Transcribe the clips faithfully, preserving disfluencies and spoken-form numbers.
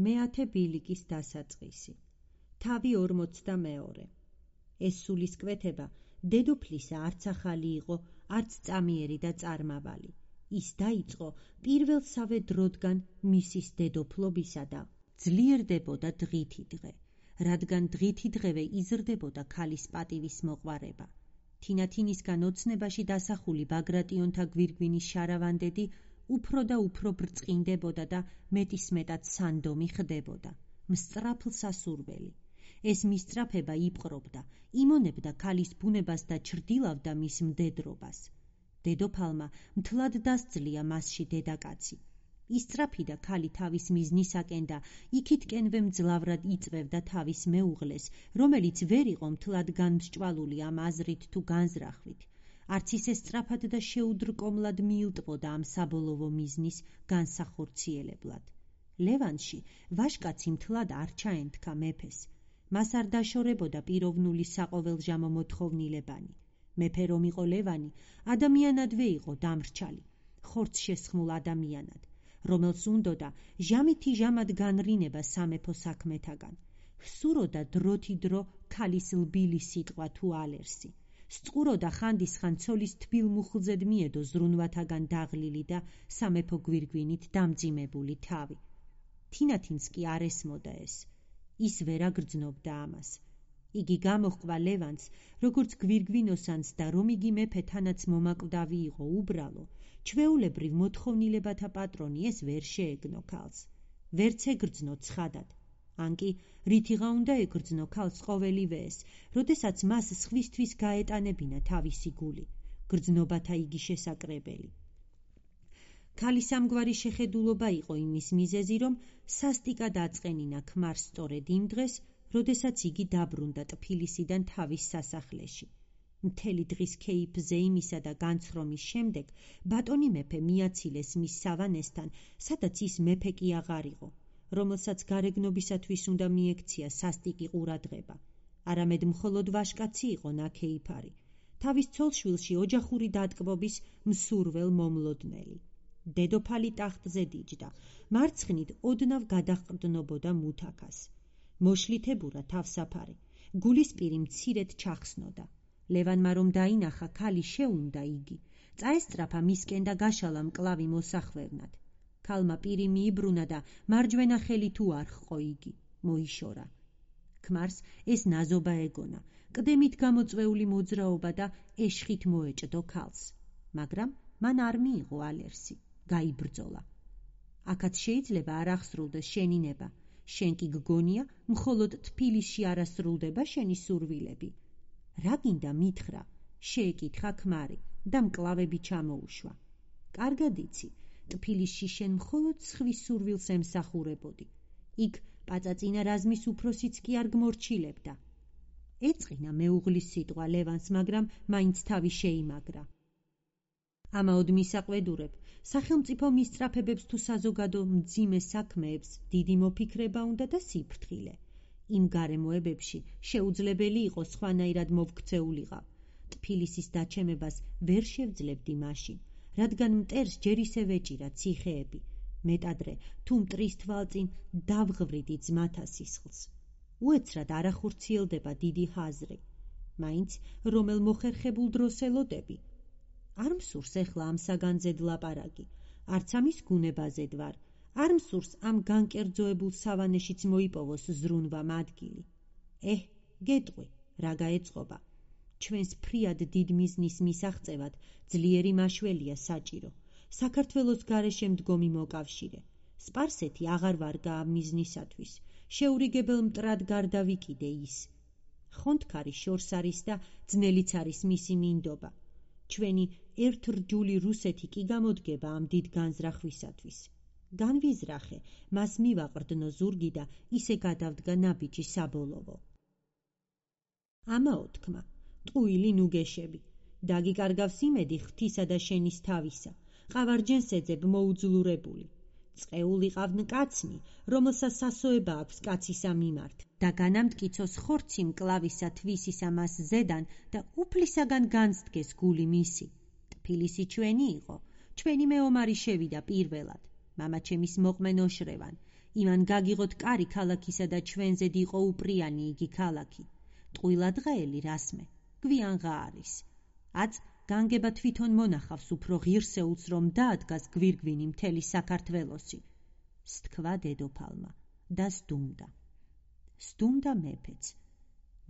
მეათე ბილიკის დასაწყისი. თავი ორმოცდამეორე. ეს სულისკვეთება დედოფლისა არც ახალი იყო, არც წამიერი და წარმავალი. ის დაიწყო პირველსავე დროდგან მისის დედოფლობისა და ძლიერდებოდა დღითი დღე, რადგან დღითი დღევე იზრდებოდა ქალის პატივის მოყვარება. თინათინისგან ოცნებაში დასახული ბაგრატიონთა გვირგვინის შარავანდედი უფრო და უფრო ბრწყინდებოდა და მეტისმეტად სანდომი ხდებოდა, მსწრაფლ სასურველი. ეს მისწრაფება იპყრობდა, იმონებდა ქალის ბუნებას და ჩრდილავდა მის მდედრობას. დედოფალმა მთლად დასძლია მასში დედაკაცი. ისწრაფიდა ქალი თავის მიზნისაკენ და იქითკენვე მძლავრად იწვევდა თავის მეუღლეს, რომელიც ვერ იყო მთლად განმსჭვალული ამ აზრით თუ განზრახვით. არც ისე სწრაფად და შეუდრკომლად მიილტვოდა ამ საბოლოო მიზნის განსახორციელებლად. ლევანში ვაჟკაცი მთლად არ ჩაენთქა მეფეს. მას არ დაშორებოდა პიროვნული საყოველჟამო მოთხოვნილებანი. მეფე რომ იყო ლევანი, ადამიანადვე იყო დამრჩალი, ხორცშესხმულ ადამიანად, რომელს უნდოდა ჟამითი ჟამად განრინება სამეფო საქმეთაგან. სუროდა დროთი დრო ქალის ლბილი სიტყვა თუ ალერსი. სწუროდა ხანდისხან ცოლის თბილ მუხლზედ მიედო ზრუნვათაგან დაღლილი და სამეფო გვირგვინით დამძიმებული თავი. თინათინს კი არ ესმოდა ეს. ის ვერ აგრძნობდა ამას. იგი გამოჰყვა ლევანს, როგორც გვირგვინოსანს და რომ იგი მეფე თანაც მომაკვდავი იყო უბრალო, ჩვეულებრივ მოთხოვნილებათა პატრონი ეს ვერ შეეგნო ქალს. ვერც ეგრძნო ცხადად. ან კი რითიღა უნდა ეგრძნო ქალს ყოველივე ეს, როდესაც მას სხვისთვის გაეტანებინა თავისი გული, გრძნობათა იგი შესაკრებელი. ქალის ამგვარი შეხედულობა იყო იმის მიზეზი, რომ სასტიკად აწყენინა ქმარს სწორედ იმ დღეს, როდესაც იგი დაბრუნდა ტფილისიდან თავის სასახლეში. მთელი დღის ქეიფზე იმისა და განცრომის შემდეგ ბატონი მეფე მიაცილეს მის სავანესთან, სადაც ის მეფე კი აღარ იყო, რომელსაც გარეგნობისათვის უნდა მიექცია სასტიკი ყურადღება. არამედ მხოლოდ ვაჟკაცი იყო ნაქეიფარი, თავის ცოლშვილში ოჯახური დატკბობის მსურվել მომლოდნელი. დედოფალი ტახტზე დიჯდა, მარცხნით ოდნავ გადაჰყრდნობოდა მუთაქას. მოშლითებურა თავსაფარი, გულისპირი მცირედ ჩახსნოდა. ლევანმა რომ დაინახა ქალი შეუნდა იგი, წაესწრაფა მისკენ და გაშალა მკლავი მოსახვევნად. ქალმა პირი მიიბრუნა და მარჯვენა ხელი თუ არ ჰყო იგი, მოიშორა. ქმარს ეს ნაზობა ეგონა, ყდემით გამოწვეული მოძრაობა და ეშხით მოეჭდო ქალს, მაგრამ მან არ მიიღო ალერსი, გაიბრძოლა. აქაც შეიძლება არ აღსრულდეს შენი ნება, შენ კი გგონია მხოლოდ თბილისში არასრულდება შენი სურვილები. რა გინდა მითხრა, შეეკითხა ქმარი და მკლავები ჩამოუშვა. კარგად იცი, ტფილისში შენ მხოლოდ სხვის სურვილს ემსახურებოდი. იქ პაწაწინა რაზმის უფროსიც კი არ გმორჩილებდა. ეწყინა მეუღლის სიტყვა ლევანს, მაგრამ მაინც თავი შეიმაგრა. ამაოდ მისაყვედურებ, სახელმწიფო მისწრაფებებს თუ საზოგადო მძიმე საქმეებს დიდი მოფიქრება უნდა და სიფრთხილე. იმ გარემოებებში შეუძლებელი იყო სხვანაირად მოვქცეულიყავ. ტფილისის დაჩემებას ვერ შევძლებდი მაშინ, რადგან მტერს ჯერ ისე ვეჭირა ციხეები, მეტადრე თუ მტრის თვალწინ დავღვრიდი ძმათა სისხლს. უეცრად არ ახორციელდება დიდი ჰაზრი. მაინც რომელ მოხერხებულ დროს ელოდები. არ მსურს ეხლა ამ საგანძედ ლაპარაკი, არც ამის გუნებაზედ ვარ, არ მსურს ამ განკერძოებულ სავანეშიც მოიპოვოს ზრუნვამ ადგილი. ეჰ, გეტყვი, რა გაეწყობა. ჩვენს ფრიად დიდ მიზნის მისაღწევად ძლიერი მაშველია საჭირო. საქართველოს გარეშე მდგომი მოკავშირე. სპარსეთი აღარ ვარგა ამ მიზნისათვის. შეურიგებელ მტრად გარდა ვიკიდე ის. ხონთქარი შორს არის და ძნელიც არის მისი მინდობა. ჩვენი ერთრჯული რუსეთი კი გამოდგება ამ დიდ განზრახვისათვის. განვიზრახე, მას მივაყრდნო ზურგი და ისე გადავდგა ნაბიჯი საბოლოო. ამაო თქმა, ტყუილი ნუგეშები, დაგიკარგავს იმედი ღვთისა და შენის თავისა, ყავარჯენს ეძებ მოუძლურებული. წყეულიყავ კაცნი, რომელსაც სასოება აქვს კაცისა მიმართ, და განამტკიცოს ხორცი მკლავისა თვისისა მას ზედან და უფლისაგან განსდგეს გული მისი. ტფილისი ჩვენი იყო, ჩვენი მეომარი შევიდა პირველად. მამაჩემის მოყმენ ოშრევან. იმან გაგიღოთ კარი ქალაქისა და ჩვენზედ იყო უპრიანი იგი ქალაქი. ტყუილადღაელი რასმე, გვიანღა არის. აწ განგება თვითონ მონახავს უფრო ღირსეულს, რომ დაადგას გვირგვინი მთელი საქართველოსი. სთქვა დედოფალმა და სდუმდა. სდუმდა მეფეც.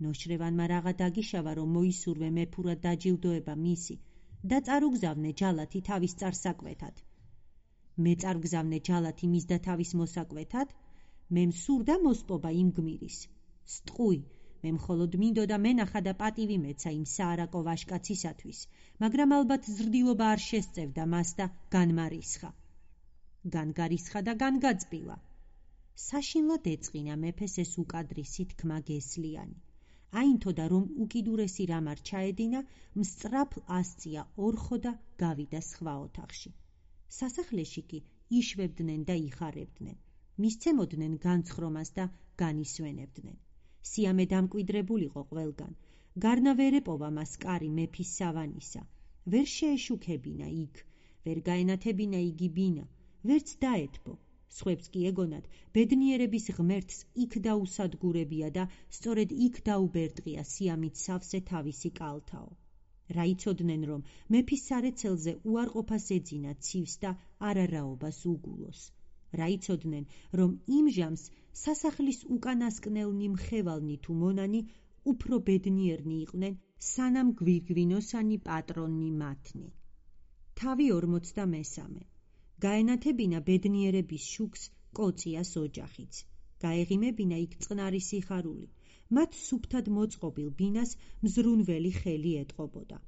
ნოშრევანმა რაღა დაგიშავა, რომ მოისურვე მეფურად დაჯილდოება მისი და წარუგზავნე ჯალათი თავის წარსაკვეთად. მე წარგზავნე ჯალათი მისდა თავის მოსაკვეთად, მე მსურდა მოსპობა იმ გმირის. სტყვი, მე მხოლოდ მინდოდა მენახა და პატივი მეცა იმ საარაკო ვაშკაცისათვის, მაგრამ ალბათ ზრდილობა არ შესწევდა მას და განმარისხა. განგარისხა და განგაწბილა. საშინლად ეწყინა მეფეს ეს უკადრისი თქმა გესლიანი. აინთოდა, რომ უკიდურესი რამ არ ჩაედინა, მსწრაფ ასწია ორხო და გავიდა სხვა ოთახში. სასახლეში კი იშვებდნენ და იხარებდნენ, მისცემოდნენ განცხრომას და განისვენებდნენ. სიამე დამკვიდრებულიყო ყველგან, გარნა ვერ ეპოვა მას კარი მეფის სავანისა, ვერ შეეშუქებინა იქ, ვერ გაენათებინა იგი ბინა, ვერც დაეთბო. სხვებს კი ეგონათ, ბედნიერების ღმერთს იქ დაუსადგურებია და სწორედ იქ დაუბერდღია სიამით სავსე თავისი კალთაო. რა იცოდნენ, რომ მეფის სარეცელზე უარყოფას ეძინა ცივს და არარაობას უგულოს. რა იცოდნენ, რომ იმ ჟამს სასახლის უკანასკნელნი მხევალნი თუ მონანი უფრო ბედნიერნი იყვნენ, სანამ გვირგვინოსანი პატრონნი მათნი. თავი ორმოცდამესამე. გაენათებინა ბედნიერების შუქს კოწიას ოჯახიც. გაეღიმებინა იქ წყნარი სიხარული. მათ სუფთად მოწყობილ ბინას მზრუნველი ხელი ეტყობოდა.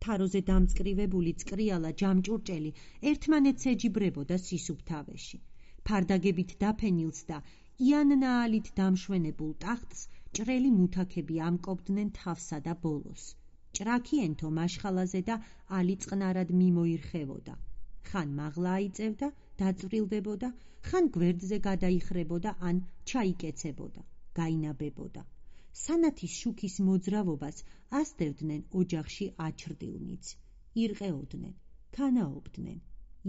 თაროზე დამწკრივებული წკრიალა ჯამჭურჭელი ერთმანეთს ეჯიბრებოდა სისუფთავეში. ფარდაგებით დაფენილს და იანნაალით დამშვენებულ ტახტს ჭრელი მუთაქები ამკობდნენ თავსა და ბოლოს. ჭრაქიენთო მაშხალაზე და ალი წყნარად მიმოირხევოდა. ხან მაღლა აიწევდა, დაწვრილდებოდა, ხან გვერდზე გადაიხრებოდა ან ჩაიკეცებოდა, გაინაბებოდა. სანათის შუქის მოძრავობას ასდევდნენ ოჯახში აჩრდილნიც. ირყეოდნენ, ქანაობდნენ,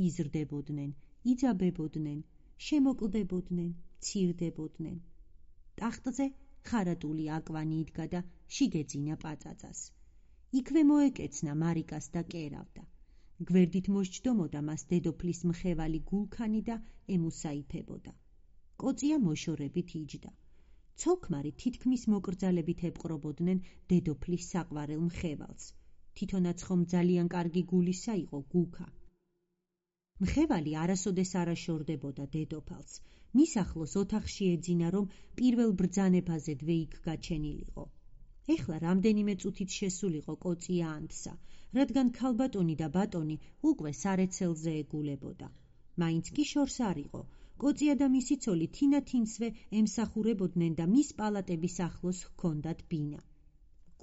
იზრდებოდნენ, იძაბებოდნენ, შემოკლდებოდნენ, ცირდებოდნენ. ტახტზე ხარატული აკვანი იდგა და შიგეძინა პაწაწას. იქვე მოეკეცნა მარიკას და კერავდა. გვერდით მოსჯდომოდა მას დედოფლის მხევალი გულქანი და ემუსაიფებოდა. კოწია მოშორებით იჯდა. ცოლქმარი თითქმის მოკრძალებით ეპყრობოდნენ დედოფლის საყვარელ მხევალს. თვითონაც ხომ ძალიან კარგი გულისა იყო გუქა. მხევალი არასოდეს არაშორდებოდა დედოფალს. მის ახლოს ოთახში ეძინა, რომ პირველ ბრძანებაზედვე იქ გაჩენილიყო. ეხლა რამდენიმე წუთით შესულიყო კოწია ანთსა, რადგან ქალბატონი და ბატონი უკვე სარეცელზე ეგულებოდა. მაინც კი შორს არ იყო. კოწია და მისი ცოლი თინათინსვე ემსახურებოდნენ და მის პალატების ახლოს ჰქონდათ ბინა.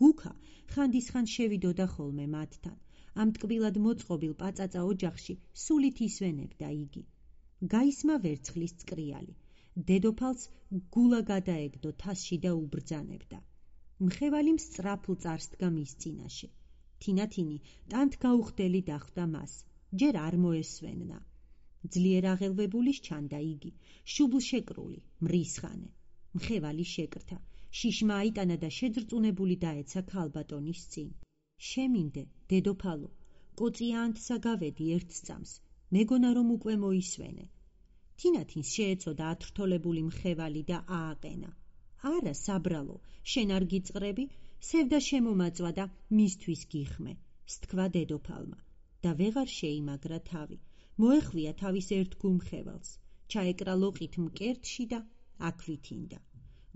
გუქა ხანდისხან შევიდოდა ხოლმე მათთან. ამ ტკბილად მოწყობილ პაწაწა ოჯახში სულით ისვენებდა იგი. გაისმა ვერცხლის წკრიალი. დედოფალს გულა გადაეგდო თასში და უბრძანებდა. მხევალი მსწრაფლ წარს დგა მის წინაშე. თინათინი ტანთ გაუხდელი დახვდა მას, ჯერ არ მოესვენნა. ძლიერ აღელვებული სჩანდა იგი, შუბლშეკრული, მრისხანე. მხევალი შეკრთა, შიშმა აიტანა და შეძრწუნებული დაეცა ქალბატონის წინ. შემინდე, დედოფალო, კოწია ანთსა გავედი ერთ წამს, მეგონა რომ უკვე მოისვენე. თინათინს შეეწოდა ათრთოლებული მხევალი და ააყენა. არა, საბრალო, შენ არ გიწყრები, სევდა შემომაწვა და მისთვის გიხმე, სთქვა დედოფალმა და ვეღარ შეიმაგრა თავი. მოეხვია თავის ერთგულ მხევალს, ჩაეკრა ლოყით მკერდში და აქვითინდა.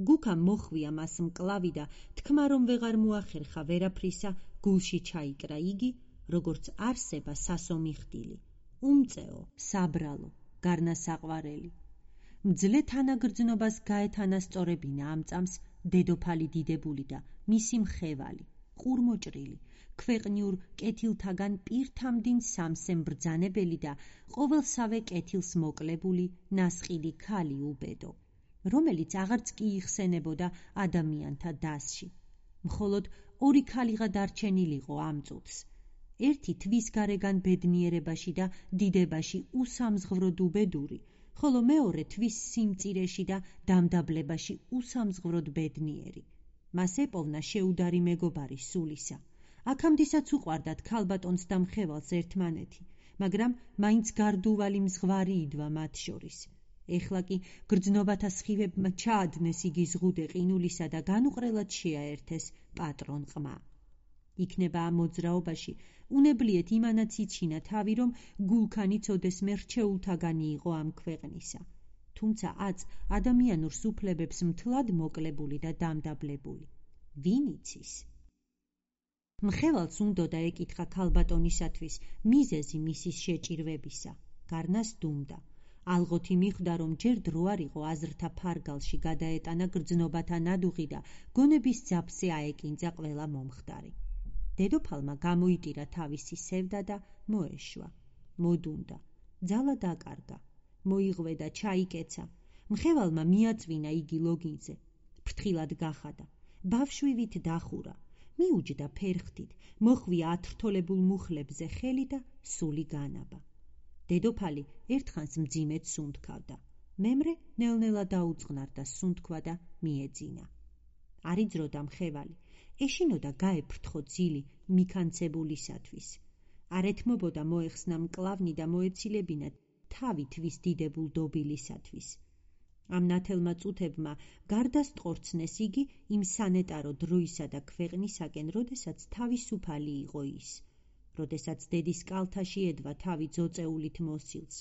გუქამ მოხვია მას მკლავი და თქმა რომ ვეღარ მოახერხა ვერაფრისა, გულში ჩაიკრა იგი, როგორც არსება სასომი ხდილი. უმწეო, საბრალო, გარნასაყვარელი. მძლე თანაგრძნობას გაეთანასწორებინა ამ წამს დედოფალი დიდებული და მისი მხევალი, ყურმოჭრილი, ქვეყნიურ კეთილთაგან პირთამდინ სამსე მბრძანებელი და ყოველსავე კეთილს მოკლებული ნასყიდი ქალი უბედო, რომელიც აღარც კი იხსენებოდა ადამიანთა დასში. მხოლოდ ორი ქალიღა დარჩენილიყო ამ წუთს. ერთი თვის გარეგან ბედნიერებაში და დიდებაში უსამზღვროდ უბედური, ხოლო მეორე თვის სიმწირეში და დამდაბლებაში უსამზღვროდ ბედნიერი. მას ეპოვნა შეუდარი მეგობარი სულისა. აქამდესაც უყვარდათ ქალბატონს და მხევალს ერთმანეთი, მაგრამ მაინც გარდუვალი მზღვარი იდვა მათ შორის. ეხლა კი გრძნობათა სხივებმა ჩაადნეს იგი ზღუდე ყინულისა და განუყრელად შეაერთეს პატრონ ყმა. იქნება ამ მოძრაობაში უნებლიეთ იმანაც იჩინა თავი, რომ გულქანი ცოდესმე რჩეულთაგანი იყო ამ ქვეყნისა, თუმცა აც ადამიანურ სუფლებებს მთლად მოკლებული და დამდაბლებული. ვინ იცის? მხევალს უნდოდა ეკითხა ქალბატონისათვის მიზეზი მისის შეჭირვებისა. გარნას დუმდა. ალღოთი მიხვდა, რომ ჯერ დრო არ იყო აზრთა ფარგალში გადაეტანა გრძნობათა ნადუღი და გონების ძაფზე აეკინძა ყველა მომხდარი. დედოფალმა გამოიტირა თავისი სევდა და მოეშვა. მოდუნდა. ძალა დაკარგა. მოიღვედა, ჩაიკეცა. მხევალმა მიაწვინა იგი ლოგინზე. ფრთხილად გახადა. ბავშვივით დახურა. მიუჯდა ფერხთით, მოხვია ათრთოლებულ მუხლებზე ხელი და სული განაბა. დედოფალი ერთხანს მძიმედ სუნთქავდა. მემრე ნელ-ნელა დაუწყნარდა სუნთქვა და მიეძინა. არ იძროდა მხევალი. ეშინოდა გაეფრთხო ძილი მიქანცებულისათვის. არ ეთმობოდა მოეხსნა მკლავნი და მოეცილებინა თავი თვის დიდებულ დობილისათვის. ამ ნათელმა წუთებმა გარდასტყორცნეს იგი იმ სანეტარო დროისა და ქვეყნისაკენ, როდესაც თავისუფალი იყო ის, როდესაც დედის კალთაში ედვა თავი ძოწეულით მოსილს,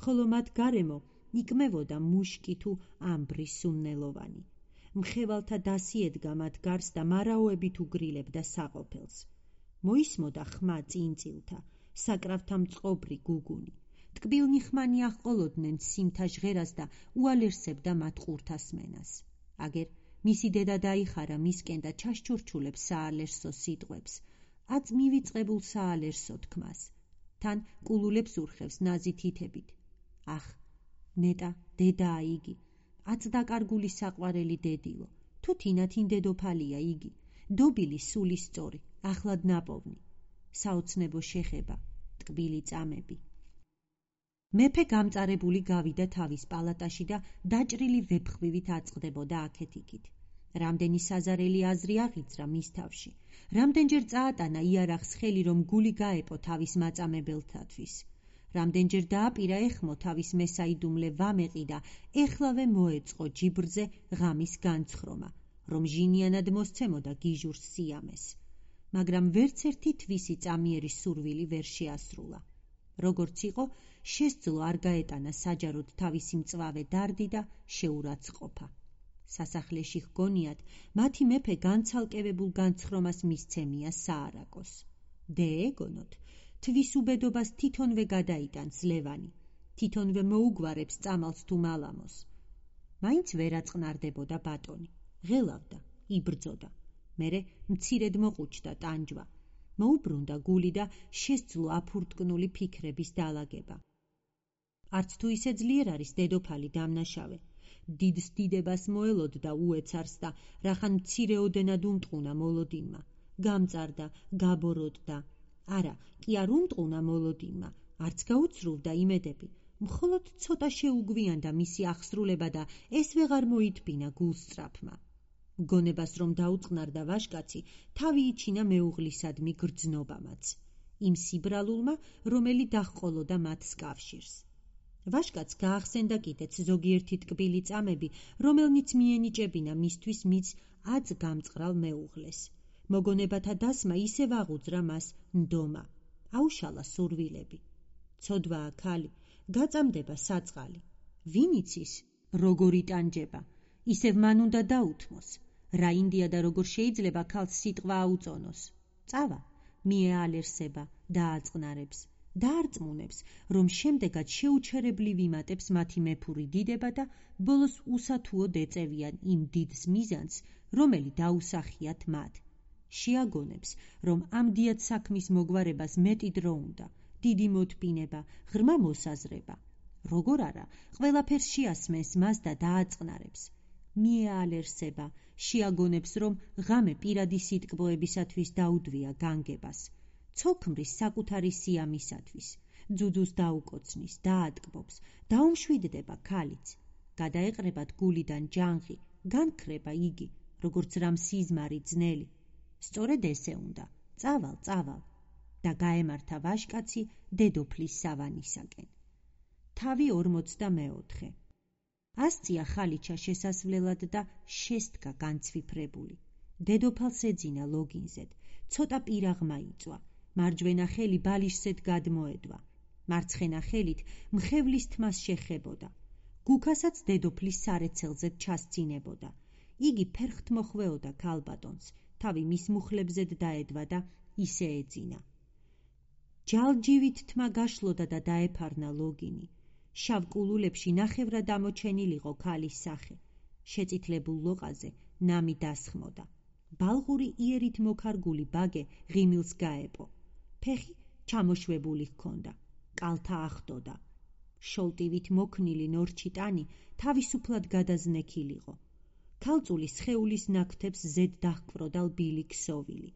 ხოლო მათ გარემო იკმევოდა მუშკი თუ ამბრი სუნნელოვანი. მხევალთა დასი ედგა მათ გარს და მარაოებით უგრილებდა საყოფელს. მოისმოდა ხმა წინწილთა, საკრავთა მწყობრი გუგუნი. ტკბილნი ხმანი აჰყოლოდნენ სიმთა ჟღერას და უალერსებდა მათ ყურთასმენას. აგერ მისი დედა დაიხარა მისკენ და ჩაშჩურჩულებს საალერსო სიტყვებს, აწ მივიწყებულ საალერსო თქმას. თან კულულებს ურხევს ნაზი თითებით. ახ, ნეტა დედაა იგი, აწ დაკარგული საყვარელი დედილო, თუ თინათინ დედოფალია იგი, დობილი სული სწორი, ახლად ნაპოვნი. საოცნებო შეხება, ტკბილი წამები. მეფე გამწარებული გავიდა თავის პალატაში და დაჭრილი ვეფხვივით აწყდებოდა აქეთ-იქით. რამდენი საზარელი აზრი აღიძრა მის თავში, რამდენჯერ წაატანა იარაღს ხელი, რომ გული გაეპო თავის მაწამებელთათვის, რამდენჯერ დააპირა ეხმო თავის მესაიდუმლე ვამეყი და ეხლავე მოეწყო ჯიბრზე ღამის განცხრომა, რომ ჟინიანად მოსცემოდა გიჟურს სიამეს, მაგრამ ვერც ერთი თვისი წამიერი სურვილი ვერ შეასრულა. როგორც იყო, შესძლო არ გაეტანა საჯაროდ თავისი მწვავე დარდი და შეურაცხყოფა. სასახლეში ჰგონიათ, მათი მეფე განცალკევებულ განცხრომას მისცემია საარაკოს. დეეგონოთ, თვის უბედობას თითონვე გადაიტანს ლევანი, თითონვე მოუგვარებს წამალს თუ მალამოს. მაინც ვერ აწყნარდებოდა ბატონი, ღელავდა, იბრძოდა. მერე მცირედ მოყუჩდა ტანჯვა. მოუბრუნდა გული და შესძლო აფურტკნული ფიქრების დალაგება. არც თუ ისე ძლიერ არის დედოფალი დამნაშავე. დიდს დიდებას მოელოდდა უეცარს და რახან მცირეოდენად უმტყუნა მოლოდინმა. გამწარდა, გაბოროტდა. არა, კი არ უმტყუნა მოლოდინმა, არც გაუცრუვდა იმედები. მხოლოდ ცოტა შეუგვიანდა მისი აღსრულება და ეს ვეღარ მოითბინა გულსწრაფმა. გონებას რომ დაუწყნარდა ვაშკაცი, თავი იჩინა მეუღლისადმი გრძნობამაც, იმ სიბრალულმა, რომელი დაჰყოლოდა მათს კავშირს. ვაშკაც გაახსენდა კიდეც ზოგიერთი ტკბილი წამები, რომელნიც მიენიჭებინა მისთვის მის აწ გამწყრალ მეუღლეს. მოგონებათა დასმა ისევ აღუძრა მას ნდომა, აუშალა სურვილები. ცოდვაა ქალი, გაწამდება საწყალი. ვინ იცის, როგორ იტანჯება, ისევ მან უნდა დაუთმოს. რა ინდია და როგორ შეიძლება ქალს სიტყვა აუწონოს. წავა, მიეალერსება, დააწყნარებს, დაარწმუნებს, რომ შემდეგად შეუჩერებლი ვიმატებს მათი მეფური დიდება და ბოლოს უსათუოდ ეწევიან იმ დიდს მიზანს, რომელი დაუსახიათ მათ. შეაგონებს, რომ ამ დიად საქმის მოგვარებას მეტი დრო უნდა, დიდი მოტკინება, ღრმა მოსაზრება. როგორ არა, ყველაფერს შეასმენს მას და დააწყნარებს. მიეალერსება, შეაგონებს, რომ ღამე პირადი სიტკბოებისათვის დაუდვია განგებას. ცოლ-ქმრის საკუთარი სიამისათვის, ძუძუს დაუკოცნის, დაატკბობს, დაუმშვიდდება ქალიც, გადაეყრებათ გულიდან ჯანღი, განქრება იგი, როგორც რამ სიზმარი ძნელი. სწორედ ესე უნდა, წავალ, წავალ და გაემართა ვაჟკაცი დედოფლის სავანისაკენ. თავი ორმოცდამეოთხე. ასწია ხალიჩა შესასვლელად და შესდგა განცვიფრებული. დედოფალს ეძინა ლოგინზედ, ცოტა პირაღმა იწვა, მარჯვენა ხელი ბალიშსეთ გადმოედვა, მარცხენა ხელით მხევლის თმას შეხებოდა. გუქასაც დედოფლის სარეცელზედ ჩასწინებოდა. იგი ფერხთ მოხვეოდა ქალბატონს, თავი მის მუხლებზედ დაედვა და ისე ეძინა. ჯალჯივით თმა გაშლოდა და დაეფარნა ლოგინი. შავ კულულებში ნახევრად ამოჩენილიყო ქალის სახე. შეწითლებულ ლოყაზე ნამი დასხმოდა. ბალღური იერით მოქარგული ბაგე ღიმილს გაეპო. ფეხი ჩამოშვებული ჰქონდა, კალთა ახდოდა. შოლტივით მოქნილი ნორჩი ტანი თავისუფლად გადაზნექილიყო. ქალწულის სხეულის ნაკვთებს ზედ დაჰკვროდა ლბილი ქსოვილი.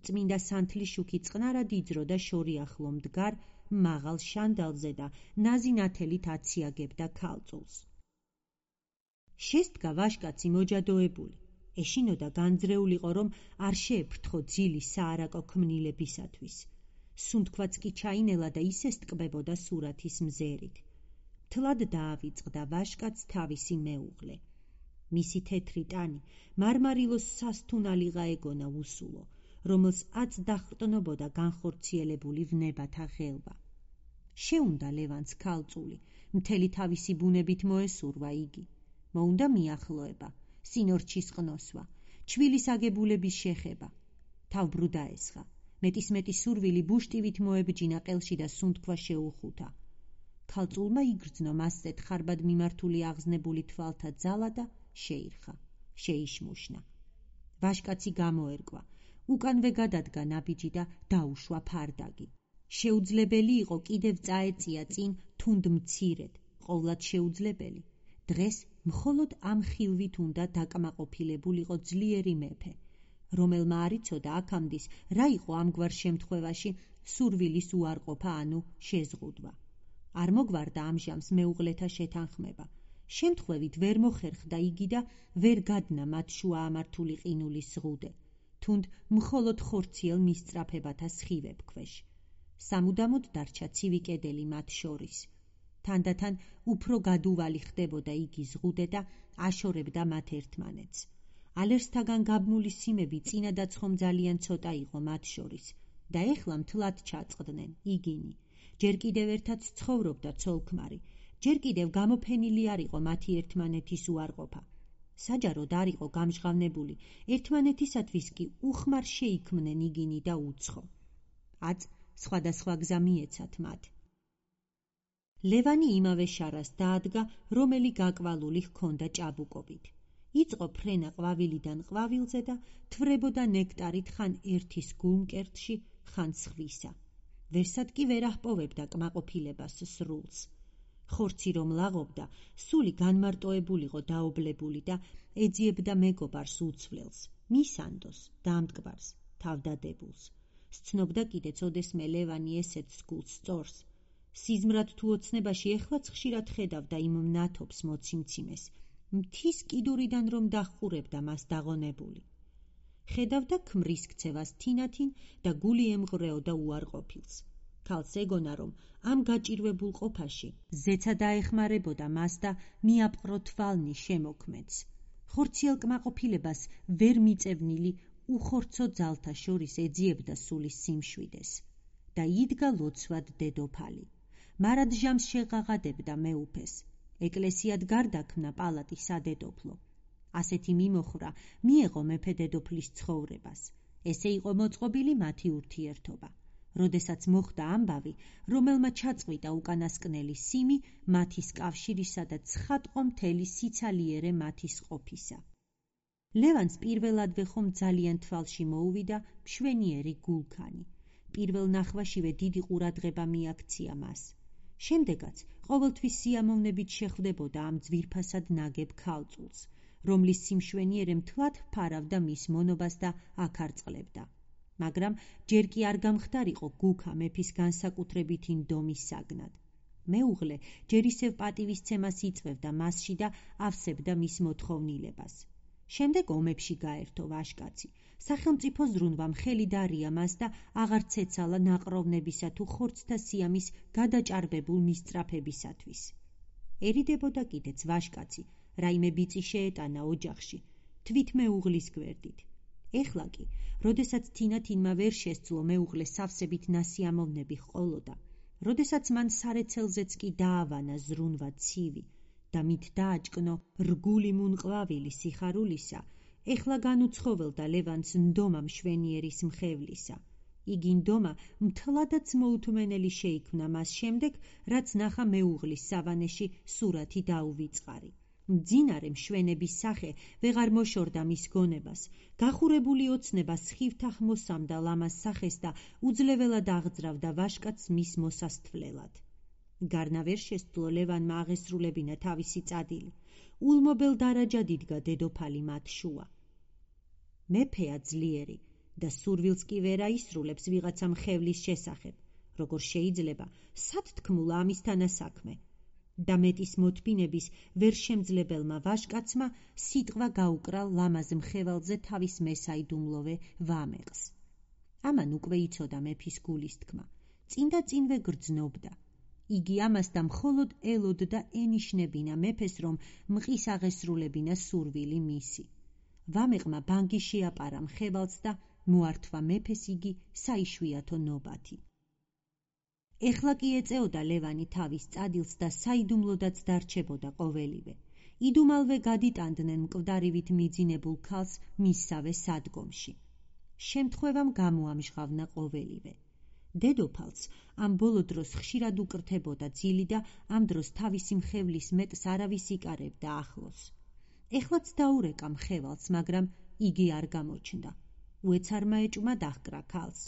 წმინდა სანთლის შუქი წყნარად იძროდა შორიახლო მდგარ მაღალ შანდალზე და ნაზი ნათელით აციაგებდა ქალწულს. შესდგა ვაჟკაცი მოჯადოებული. ეშინოდა განძრეულიყო, რომ არ შეეფრთხო ძილი საარაკო ქმნილებისათვის. სუნთქვაც კი ჩაინელა და ისე სტკბებოდა სურათის მზერით. თლად დაავიწყდა ვაჟკაც თავისი მეუღლე. მისი თეთრი ტანი მარმარილოს სასთუნალიღა ეგონა უსულო, რომელს აწ დახრტნობოდა განხორციელებული ვნებათა ღელვა. შეუნდა ლევანს ქალწული, მთელი თავისი ბუნებით მოესურვა იგი. მოუნდა მიახლოება, სინორჩის ყნოსვა, ჩვილის აგებულების შეხება. თავბრუ დაესხა. მეტისმეტი სურვილი ბუშტივით მოებჯინა ყელში და სუნთქვა შეუხუთა. ქალწულმა იგრძნო მასზედ ხარბად მიმართული აღზნებული თვალთა ძალა და შეირხა, შეიშმუშნა. ვაჟკაცი გამოერკვა, უკანვე გადადგა ნაბიჯი და დაუშვა ფარდაგი. შეუძლებელი იყო კიდევ წაეწია წინ თუნდ მცირედ, ყოვლად შეუძლებელი. დღეს მხოლოდ ამ ხილვით უნდა დაკმაყოფილებულიყო ძლიერი მეფე, რომელმა არ იცოდა აქამდის რა იყო ამგვარ შემთხვევაში სურვილის უარყოფა ანუ შეზღუდვა. არ მოგვარდა ამჟამს მეუღლეთა შეთანხმება. შემთხვევით ვერ მოხერხდა იგი და ვერ გადნა მათ შუა ამართული ყინულის ზღუდე, თუნდ მხოლოდ ხორციელ მისწრაფებათა სხივებ ქვეშ. სამუდამოდ დარჩა ცივი კედელი მათ შორის. თანდათან უფრო გადუვალი ხდებოდა იგი ზღუდე და აშორებდა მათ ერთმანეთს. ალერსთაგან გაბმული სიმები წინადაც ხომ ძალიან ცოტა იყო მათ შორის და ეხლა მთლად ჩაწყდნენ იგინი. ჯერ კიდევ ერთად ცხოვრობდა ცოლ-ქმარი, ჯერ კიდევ გამოფენილი არ იყო მათი ერთმანეთის უარყოფა. საჯაროდ არ იყო გამჟღავნებული, ერთმანეთისათვის კი უხმარ შეიქმნენ იგინი და უცხო. აწ სხვადასხვა გზა მიეცათ მათ. ლევანი იმავე შარას დაადგა, რომელი გაკვალული ჰქონდა ჭაბუკობით. იწყო ფრენა ყვავილიდან ყვავილზე და თვრებოდა ნექტარით ხან ერთის გულმკერდში, ხან სხვისა. ვერსად კი ვერ აჰპოვებდა კმაყოფილებას სრულს. ხორცი რომ ლაღობდა, სული განმარტოებულიყო დაობლებული და ეძიებდა მეგობარს უცვლელს, მისანდოს, დამტკბარს, თავდადებულს. სცნობდა კიდეც ოდესმე ლევანი ესეც გულს სწორს. სიზმრად თუ ოცნებაში ეხლაც ხშირად ხედავდა იმ მნათობს მოციმციმეს, მთის კიდურიდან რომ დახურებდა მას დაღონებული. ხედავდა ქმრის ქცევას თინათინ და გული ემღვრეოდა უარყოფილს. ქალს ეგონა, რომ ამ გაჭირვებულ ყოფაში ზეცა დაეხმარებოდა მას და მიაპყრო თვალნი შემოქმედს. ხორციელ კმაყოფილებას ვერ მიწევნილი უხორცო ძალთა შორის ეძიებდა სულის სიმშვიდეს და იდგა ლოცვად დედოფალი. მარად ჟამს შეღაღადებდა მეუფეს. ეკლესიად გარდაქმნა პალატი სადედოფლო. ასეთი მიმოხრა მიეღო მეფე დედოფლის ცხოვრებას. ესე იყო მოწყობილი მათი ურთიერთობა. როდესაც მოხდა ამბავი, რომელმა ჩაწყვიტა უკანასკნელი სიმი მათის კავშირისა და ცხადყო მთელი სიცალიერე მათის ყოფისა. ლევანს პირველადვე ხომ ძალიან თვალში მოუვიდა მშვენიერი გულქანი. პირველ ნახვაშივე დიდი ყურადღება მიაქცია მას. შემდეგაც ყოველთვის სიამოვნებით შეხვდებოდა ამ ძვირფასად ნაგებ ქალწულს, რომლის სიმშვენიერე მთლად ფარავდა მის მონობას და აქარწყლებდა. მაგრამ ჯერ კი არ გამხდარიყო გუქა მეფის განსაკუთრებითი ნდომის საგნად. მეუღლე ჯერ ისევ პატივისცემას იწვევდა მასში და ავსებდა მის მოთხოვნილებას. შემდეგ ომებში გაერთო ვაშკაცი. სახელმწიფო ზრუნვამ ხელი დარია მას და აღარ ცეცალა ნაყროვნებისა თუ ხორცთა სიამის გადაჭარბებულ მისწრაფებისათვის. ერიდებოდა კიდეც ვაშკაცი, რაიმე ბიწი შეეტანა ოჯახში, თვით მეუღლის გვერდით. ეხლა კი, როდესაც თინათინმა ვერ შესძლო მეუღლეს სავსებით ნასიამოვნები ჰყოლოდა, როდესაც მან სარეცელზეც კი დაავანა ზრუნვა ცივი და მით დააჭკნო რგული მუნყვავილი სიხარულისა, ეხლა განუცხოველდა ლევანს ნდომა მშვენიერის მხევლისა. იგი ნდომა მთლადაც მოუთმენელი შეიქმნა მას შემდეგ, რაც ნახა მეუღლის სავანეში სურათი დაუვიწყარი. მძინარე მშვენების სახე ვეღარ მოშორდა მის გონებას, გახურებული ოცნება სხივთახ მოსამდა ლამას სახეს და უძლეველად აღძრავდა ვაშკაცს მის მოსასთვლელად. გარნა ვერ შესძლო ლევანმა აღესრულებინა თავისი წადილი. ულმობელ დარაჯად იდგა დედოფალი მათ შუა. მეფეა ძლიერი და სურვილს კი ვერ აისრულებს ვიღაცა მხევლის შესახებ, როგორ შეიძლება სად თქმულა ამისთანა საქმე. და მეტის მოთმინების ვერ შემძლებელმა ვაშკაცმა სიტყვა გაუკრა ლამაზ მხევალზე თავის მესაიდუმლოვე ვამეყს. ამან უკვე იცოდა მეფის გულის თქმა, წინ და წინვე გრძნობდა. იგი ამასთან მხოლოდ ელოდდა ენიშნებინა მეფეს, რომ მყის აღესრულებინა სურვილი მისი. ვამეყმა ბანგი შეაპარა მხევალს და მოართვა მეფეს იგი საიშვიათო ნობათი. ეხლა კი ეწეოდა ლევანი თავის წადილს და საიდუმლოდაც დარჩებოდა ყოველივე. იდუმალვე გადიტანდნენ მკვდარივით მიძინებულ ქალს მისსავე სადგომში. შემთხვევამ გამოამჟღავნა ყოველივე. დედოფალს ამ ბოლო დროს ხშირად უკრთებოდა ძილი და ამ დროს თავისი მხევლის მეტს არავის იკარებდა ახლოს. ეხლაც დაურეკა მხევალს, მაგრამ იგი არ გამოჩნდა. უეცარმა ეჭვმა დაჰკრა ქალს.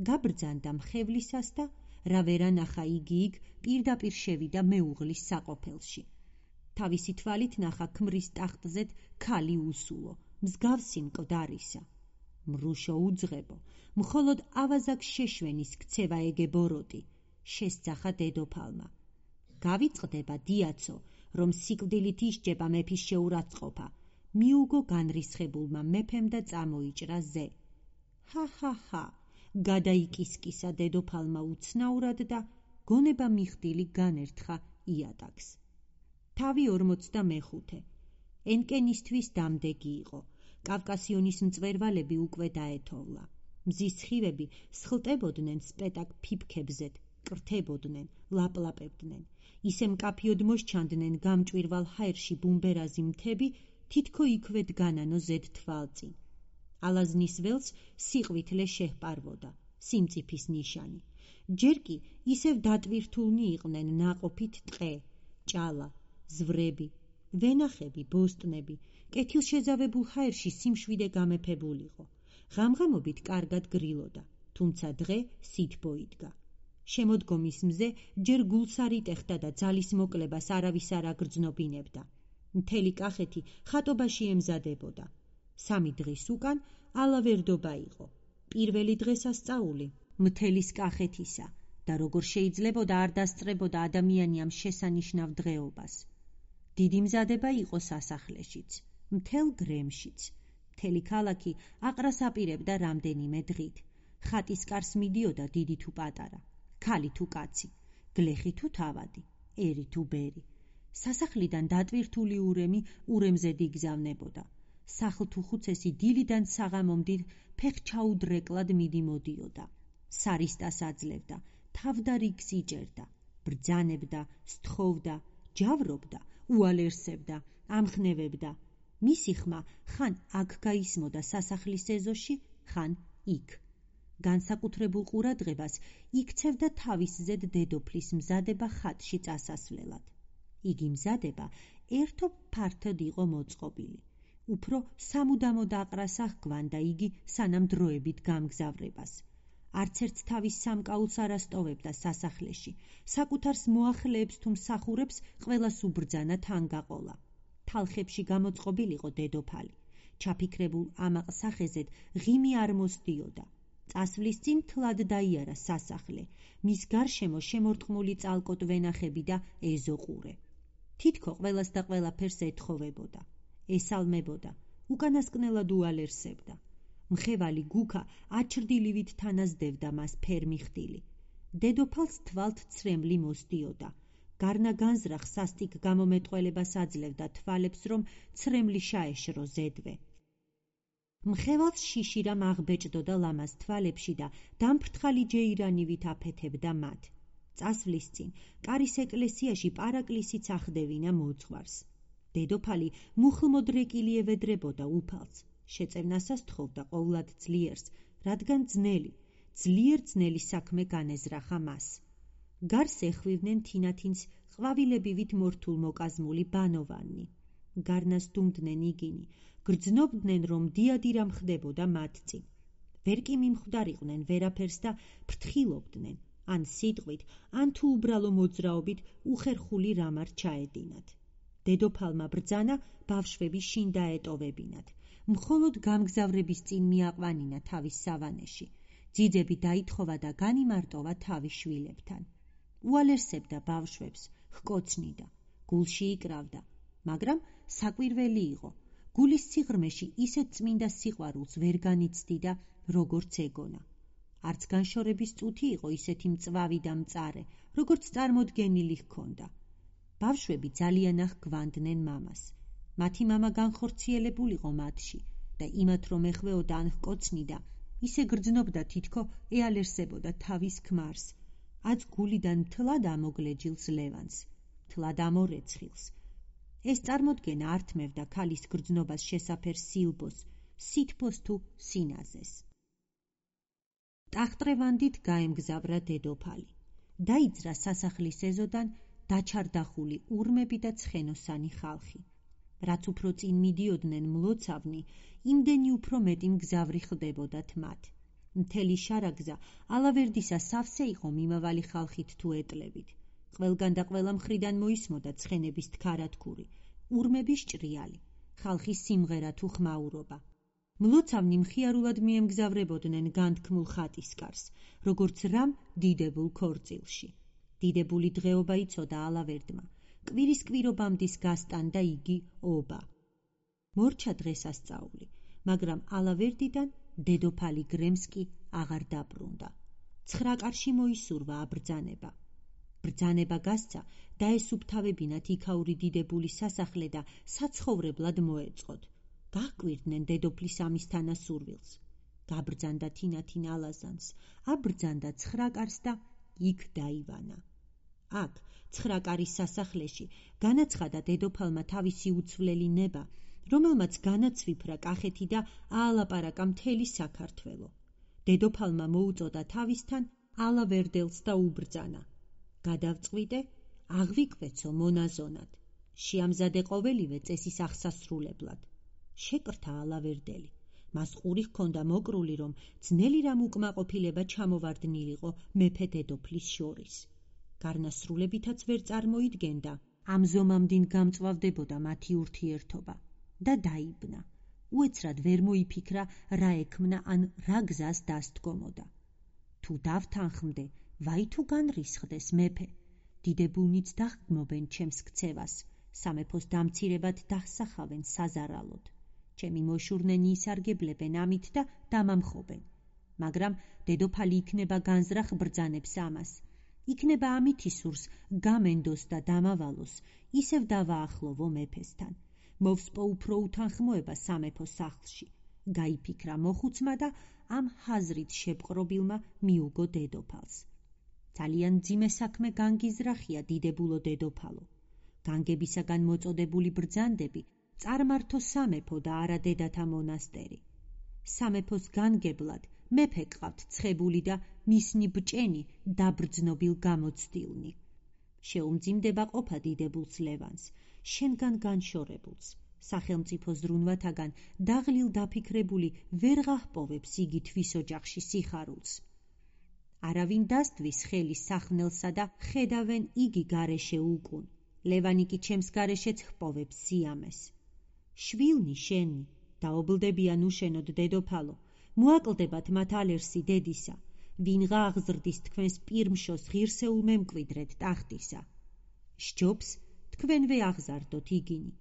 გაბრძანდა მხევლისას და რა ვერ ანახა იგი იქ პირდაპირ შევიდა მეუღლის საყოფელში. თავისი თვალით ნახა ქმრის ტახტზეთ ქალი უსულო, მსგავსი მკვდარისა. მრუშო უძღებო, მხოლოდ ავაზაკ შეშვენის ქცევა ეგებოროტი, შესძახა დედოფალმა. გავიწყდება დიაცო, რომ სიკვდილით ისჯება მეფის შეურაცხყოფა, მიუგო განრისხებულმა მეფემ და წამოიჭრა ზე. ჰა-ჰა-ჰა, გადაიკისკისა დედოფალმა უცნაურად და გონება მიხდილი განერთხა იატაკს. თავი ორმოცდამეხუთე. ენკენისთვის დამდეგი იყო. კავკასიონის მწვერვალები უკვე დაეთოვლა. მზის სხივები სხლტებოდნენ სპეტაკ ფიფქებზეთ, კრთებოდნენ, ლაპლაპებდნენ. ისე მკაფიოდ მოსჩანდნენ გამჭვირვალ ჰაერში ბუმბერაზი მთები, თითქო იქვე დგანანო ზედ თვალწინ. ალაზნის ველს სიყვითლე შეჰპარვოდა, სიმწიფის ნიშანი. ჯერ კი ისევ დატვირთულნი იყვნენ ნაყოფით ტყე, ჭალა, ზვრები, ვენახები, ბოსტნები, კეთილშეზავებულ ჰაერში სიმშვიდე გამეფებულიყო. ღამღამობით კარგად გრილოდა, თუმცა დღე სითბო იდგა. შემოდგომის მზე ჯერ გულს არ იტეხდა და ძალის მოკლებას არავის არ აგრძნობინებდა. მთელი კახეთი ხატობაში ემზადებოდა. სამი დღის უკან ალავერდობა იყო. პირველი დღესასწაული მთელის კახეთისა და როგორ შეიძლებოდა არ დასწრებოდა ადამიანი ამ შესანიშნავ დღეობას. დიდი მზადება იყო სასახლეშიც, მთელ გრემშიც. მთელი ქალაქი აყრას აპირებდა რამდენიმე დღით. ხატის კარს მიდიოდა დიდი თუ პატარა, ქალი თუ კაცი, გლეხი თუ თავადი, ერი თუ ბერი. სასახლიდან დატვირთული ურემი ურემზე დიგზავნებოდა. სახლ თუ ხუცესი დილიდან საღამომდით ფეხჩაუდრეკლად მიდიმოდიოდა. სარისტას აძლევდა, თავდარიგს იჭერდა, ბრძანებდა, სთხოვდა, ჯავრობდა, უალერსებდა, ამხნევებდა. მისი ხმა ხან აქ გაისმოდა სასახლის ეზოში, ხან იქ. განსაკუთრებულ ყურადღებას იქცევდა თავისზედ დედოფლის მზადება ხატში წასასვლელად. იგი მზადება ერთო ფართოდ იყო მოწყობილი. უფრო სამუდამოდ აყრას აღგვანდა იგი სანამ დროებით გამგზავრებას. არცერთ თავის სამკაულს არ ასტოვებდა სასახლეში. საკუთარს მოახლეებს თუ მსახურებს ყველას უბრძანა თანგაყოლა. თალხებში გამოწყობილიყო დედოფალი. ჩაფიქრებულ ამაყ სახეზედ ღიმი არ მოსდიოდა. წასვლის წინ თლად დაიარა სასახლე, მის გარშემო შემორტყმული წალკოტ ვენახები და ეზოყურე. თითქო ყველას და ყველაფერს ეთხოვებოდა, ესალმებოდა, უკანასკნელად უალერსებდა. მხევალი გუქა აჩრდილივით თანაზდევდა მას ფერმიხდილი. დედოფალს თვალთ ცრემლი მოსდიოდა. გარნა განზრახ სასტიკ გამომეტყველებას აძლევდა თვალებს, რომ ცრემლი შაეშრო ზედვე. მხევალს შიშირამ აღბეჭდოდა ლამაზ თვალებში და დამფრთხალი ჯეირანივით აფეთებდა მათ. წასვლის წინ კარის ეკლესიაში პარაკლისიც ახდევინა მოძღვარს. დედოფალი მუხლმოდრეკილი ევედრებოდა უფალს. შეწევნასას თხოვდა ყოვლად ძლიერს, რადგან ძნელი, ძლიერ ძნელი საქმე განეზრახა მას. გარს ეხვივნენ თინათინს ყვავილებივით მორთულ მოკაზმული ბანოვანი. გარნას დუმდნენ იგინი, გრძნობდნენ, რომ დიადირა მხდებოდა მათ წინ. ვერ კი მიმხვდარიყვნენ ვერაფერს და ფრთხილობდნენ, ან სიტყვით, ან თუ უბრალო მოძრაობით უხერხული რამ არ ჩაედინათ. დედოფალმა ბრძანა ბავშვები შინ დაეტოვებინათ. მხოლოდ გამგზავრების წინ მიაყვანინა თავის სავანეში. ძიძები დაითხოვა და განიმარტოვა თავის შვილებთან. უალერსებდა ბავშვებს, ჰკოცნიდა, გულში იკრავდა, მაგრამ საკვირველი იყო. გულის სიღრმეში ისეთ წმინდა სიყვარულს ვერ განიცდიდა, როგორც ეგონა. არც განშორების წუთი იყო ისეთი მწვავი და მწარე, როგორც წარმოდგენილი ჰქონდა. ბავშვები ძალიან აღგვანდნენ მამას. მათი მამა განხორციელებულიყო მათში და იმათ რომ ეხვეოდა ან ჰკოცნიდა, ისე გრძნობდა თითქო ეალერსებოდა თავის ქმარს. აც გულიდან მთლად ამოგლეჯილს ლევანს, მთლად ამორეცხილს. ეს წარმოდგენა ართმევდა ქალის გრძნობას შესაფერ სილბოს, სითბოს თუ სინაზეს. ტახტრევანდით გაემგზავრა დედოფალი. დაიძრა სასახლის ეზოდან დაჩარდახული ურმები და ცხენოსანი ხალხი. რაც უფრო წინ მიდიოდნენ მლოცავნი, იმდენი უფრო მეტი მგზავრი ხდებოდათ მათ. მთელი შარაგზა ალავერდისა სავსე იყო მიმავალი ხალხით თუ ეტლებით. ყველგან და ყველა მხრიდან მოისმოდა ცხენების თქარათქური, ურმების ჭრიალი, ხალხის სიმღერა თუ ხმაურობა. მლოცავნი მხიარულად მიემგზავრებოდნენ განთქმულ ხატისკარს, როგორც რამ დიდებულ ქორწილში. დიდებული დღეობა იცოდა ალავერდმა, კვირის კვირობამდის გასტანდა იგი ობა. მორჩა დღესასწაული, მაგრამ ალავერდიდან დედოფალი გრემსკი აღარ დაბრუნდა. ცხრა კარში მოისურვა აბრძანება. ბრძანება გასცა, დაესუფთავებინათ იქაური დიდებული სასახლე და საცხოვრებლად მოეწყოთ. გაჰკვირდნენ დედოფლის ამისთანა სურვილს. გაბრძანდა თინათინ ალაზანს, აბრძანდა ცხრა კარს და იქ დაივანა. აქ, ცხრა კარის სასახლეში, განაცხადა დედოფალმა თავისი უცვლელი ნება, რომელმაც განაცვიფრა კახეთი და აალაპარაკა მთელი საქართველო. დედოფალმა მოუწოდა თავისთან ალავერდელს და უბრძანა. გადავწყვიტე, აღვიკვეცო მონაზონად. შეამზადე ყოველივე წესის აღსასრულებლად. შეკრთა ალავერდელი. მას ყური ჰქონდა მოკრული, რომ ძნელი რამ უკმაყოფილება ჩამოვარდნილიყო მეფე დედოფლის შორის. გარნასრულებითაც ვერ წარმოიდგენდა, ამ ზომამდინ გამწვავდებოდა მათი ურთიერთობა და დაიბნა. უეცრად ვერ მოიფიქრა, რა ექმნა ან რა გზას დასდგომოდა. თუ დავთანხმდე, ვაი თუ განრისხდეს მეფე, დიდებულნიც დაღმობენ ჩემს ქცევას, სამეფოს დამცირებად დასახავენ საზარალოდ. ჩემი მოშურნენი ისარგებლებენ ამით და დამამხობენ. მაგრამ დედოფალი იქნება განზრახ ბრძანებს ამას. იქნება ამით ისურს გამენდოს და დამავალოს, ისევ დავაახლოვო მეფესთან. მოვსპო უფრო უთანხმოება სამეფო სახლში. გაიფიქრა მოხუცმა და ამ ჰაზრით შეპყრობილმა მიუგო დედოფალს. ძალიან მძიმე საქმე განგიზრახია დიდებულო დედოფალო. განგებისაგან მოწოდებული ბრძანდები წარმართო სამეფო და არა დედათა მონასტერი. სამეფოს განგებლად მეფე ყავთ ცხებული და მისნი ბჭენი დაბრძნობილ გამოცდილნი. შეუმძიმდება ყოფა დიდებულს ლევანს, შენგან განშორებულს. სახელმწიფო ზრუნვათაგან დაღლილ დაფიქრებული ვერ გაჰპოვებს იგი თვის ოჯახში სიხარულს. არავინ დასდვის ხელის სახნელსა და ხედავენ იგი გარეშე უკუნ. ლევანი კი ჩემს გარეშეც ჰპოვებს სიამეს. შვილნი შენი, დაობლდებიან უშენოდ დედოფალო, მოაკლდებათ მათ ალერსი დედისა, ვინღა აღზრდის თქვენს პირმშოს ღირსეულ მემკვიდრედ ტახტისა. სჯობს თქვენვე აღზარდოთ იგინი,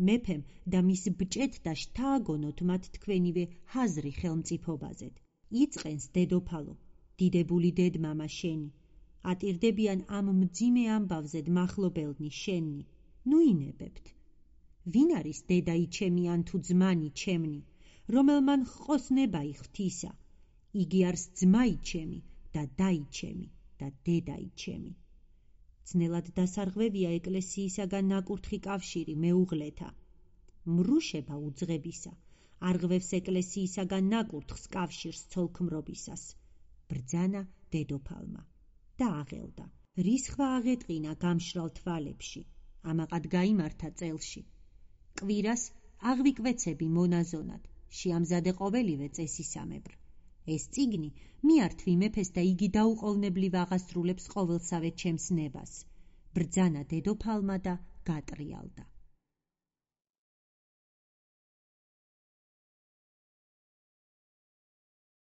მეფემ და მის ბჭეთ და შთააგონოთ მათ თქვენივე ჰაზრი ხელმწიფობაზედ. იწყენს დედოფალო, დიდებული დედმამა შენი, ატირდებიან ამ მძიმე ამბავზედ მახლობელნი შენი, ნუ ინებებთ. ვინ არის დედაი ჩემი ან თუ ძმანი ჩემნი, რომელმან ჰყოს ნებაი ღვთისა, იგი არის ძმაი ჩემი და დაი ჩემი და დედაი ჩემი. ძნელად დასარღვევია ეკლესიისაგან ნაკურთხი კავშირი მეუღლეთა. მრუშება უძღებისა, არღვევს ეკლესიისაგან ნაკურთხს კავშირს ცოლქმრობისას. ბრძანა დედოფალმა და აღელდა. რისხვა აღეტყინა გამშრალ თვალებში, ამაყად გაიმართა წელში. კვირას აღვიკვეცები მონაზონად, შეამზადე ყოველივე წესისამებრ. ეს წიგნი მიართვი მეფეს და იგი დაუყოვნებლივ აღასრულებს ყოველსავე ჩემს ნებას. ბრძანა დედოფალმა და გატრიალდა.